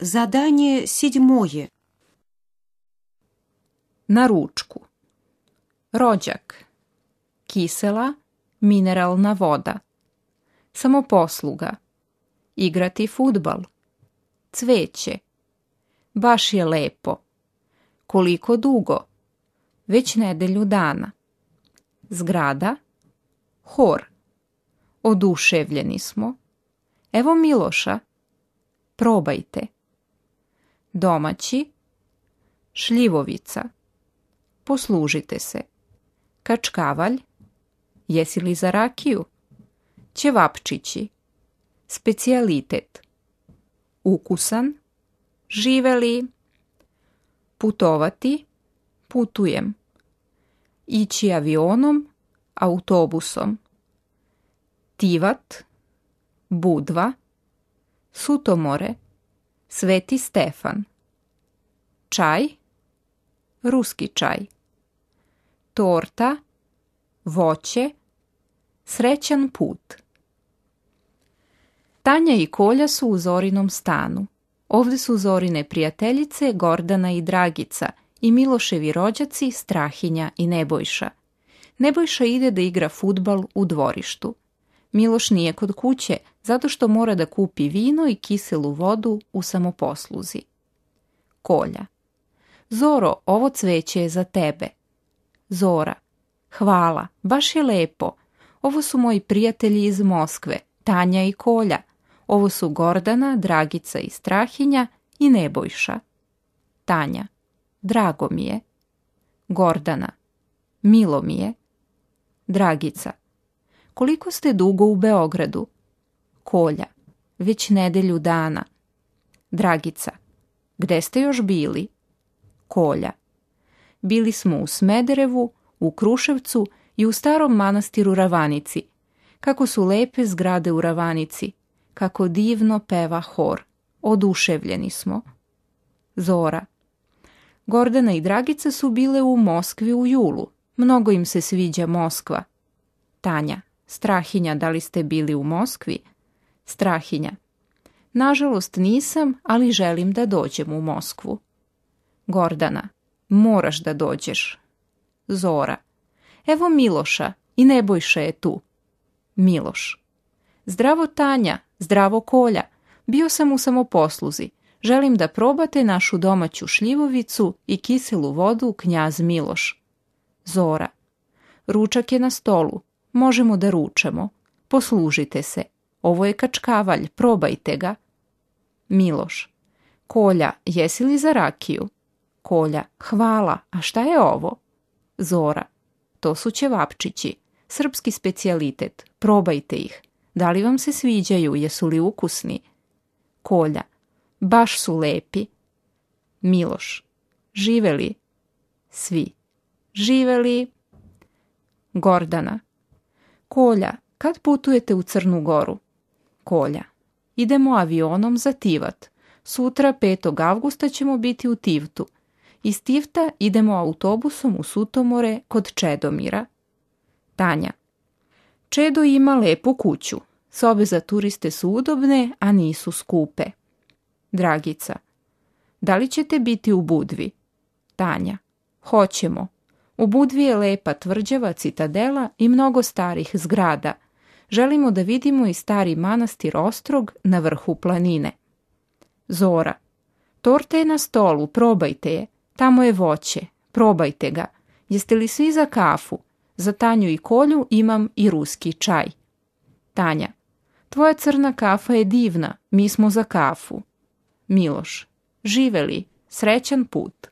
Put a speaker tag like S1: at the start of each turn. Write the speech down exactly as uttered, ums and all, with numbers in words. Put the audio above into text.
S1: Zadanje седьмое.
S2: Na ručku. Rođak. Kisela, mineralna voda. Samoposluga. Igrati fudbal. Cveće. Baš je lepo. Koliko dugo? Već nedelju dana. Zgrada. Hor. Oduševljeni smo. Evo Miloša. Probajte. Domaći. Šljivovica. Poslužite se. Kačkavalj. Jesi li za rakiju? Ćevapčići. Specijalitet. Ukusan. Živeli. Putovati. Putujem. Ići avionom. Autobusom. Tivat. Budva. Sutomore. Sveti Stefan. Čaj. Ruski čaj. Torta. Voće. Srećan put. Tanja i Kolja su u Zorinom stanu. Ovdje su Zorine prijateljice Gordana i Dragica i Miloševi rođaci Strahinja i Nebojša. Nebojša ide da igra fudbal u dvorištu. Miloš nije kod kuće zato što mora da kupi vino i kiselu vodu u samoposluzi. Kolja. Zoro, ovo cveće je za tebe. Zora. Hvala, baš je lepo. Ovo su moji prijatelji iz Moskve, Tanja i Kolja. Ovo su Gordana, Dragica i Strahinja i Nebojša. Tanja. Drago mi je. Gordana. Milo mi je. Dragica. Koliko ste dugo u Beogradu? Kolja. Već nedelju dana. Dragica. Gde ste još bili? Kolja. Bili smo u Smederevu, u Kruševcu i u starom manastiru Ravanici. Kako su lepe zgrade u Ravanici. Kako divno peva hor. Oduševljeni smo. Zora. Gordana i Dragica su bile u Moskvi u julu. Mnogo im se sviđa Moskva. Tanja. Strahinja, da li ste bili u Moskvi? Strahinja. Nažalost nisam, ali želim da dođem u Moskvu. Gordana. Moraš da dođeš. Zora. Evo Miloša i Nebojša je tu. Miloš. Zdravo Tanja, zdravo Kolja. Bio sam u samoposluzi. Želim da probate našu domaću šljivovicu i kiselu vodu Knjaz Miloš. Zora. Ručak je na stolu. Možemo da ručamo. Poslužite se. Ovo je kačkavalj, probajte ga. Miloš. Kolja, jesi li za rakiju? Kolja. Hvala, a šta je ovo? Zora. To su ćevapčići. Srpski specijalitet. Probajte ih. Da li vam se sviđaju, jesu li ukusni? Kolja. Baš su lepi. Miloš. Živeli? Svi. Živeli? Gordana. Kolja, kad putujete u Crnu Goru? Kolja. Idemo avionom za Tivat. Sutra, petog avgusta, ćemo biti u Tivtu. Iz Tivta idemo autobusom u Sutomore kod Čedomira. Tanja. Čedo ima lepu kuću. Sobe za turiste su udobne, a nisu skupe. Dragica. Da li ćete biti u Budvi? Tanja. Hoćemo. U Budvi je lepa tvrđava citadela i mnogo starih zgrada. Želimo da vidimo i stari manastir Ostrog na vrhu planine. Zora. Torta je na stolu, probajte je. Tamo je voće, probajte ga. Jeste li svi za kafu? Za Tanju i Kolju imam i ruski čaj. Tanja. Tvoja crna kafa je divna, mi smo za kafu. Miloš. Živeli, srećan put.